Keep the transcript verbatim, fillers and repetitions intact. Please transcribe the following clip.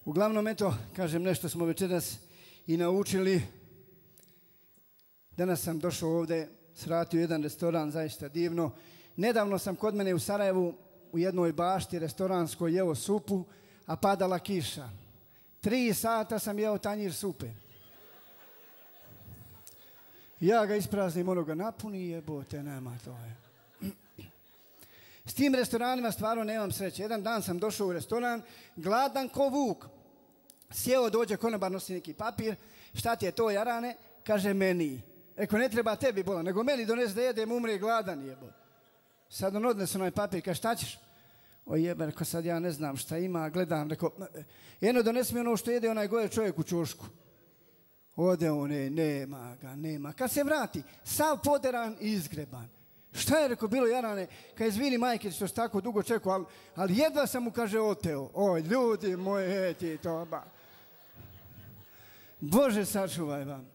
Uglavnom, eto, kažem, nešto smo večeras i naučili. Danas sam došao ovdje, sratio jedan restoran, zaista divno. Nedavno sam kod mene u Sarajevu u jednoj bašti restoranskoj jeo supu, a padala kiša. Tri sata sam jeo tanjir supe. Ja ga ispraznim, ono ga napuni, jebote, nema to je. S tim restoranima stvarno nemam sreće. Jedan dan sam došao u restoran, gladan ko vuk. Sjeo, dođe konobar, nosi neki papir. Šta ti je to, jarane? Kaže, meni. Eko, ne treba tebi bola, nego meni donesi da jedem, umre gladan, jebote. Sad on odnese onaj papir, kaže, šta ćeš? O jebe, reko, sad ja ne znam šta ima, gledam, reko, jedno donesi mi ono što jede onaj goje čovjek u čošku. Ode on, ne, nema ga, nema. Kad se vrati, sav poderan i izgreban. Šta je, reko, bilo, jarane, kad izvini majke što se tako dugo čekao, ali, ali jedva sam mu, kaže, oteo. Oj, ljudi moji, ti to, ba. Bože, sačuvaj vam.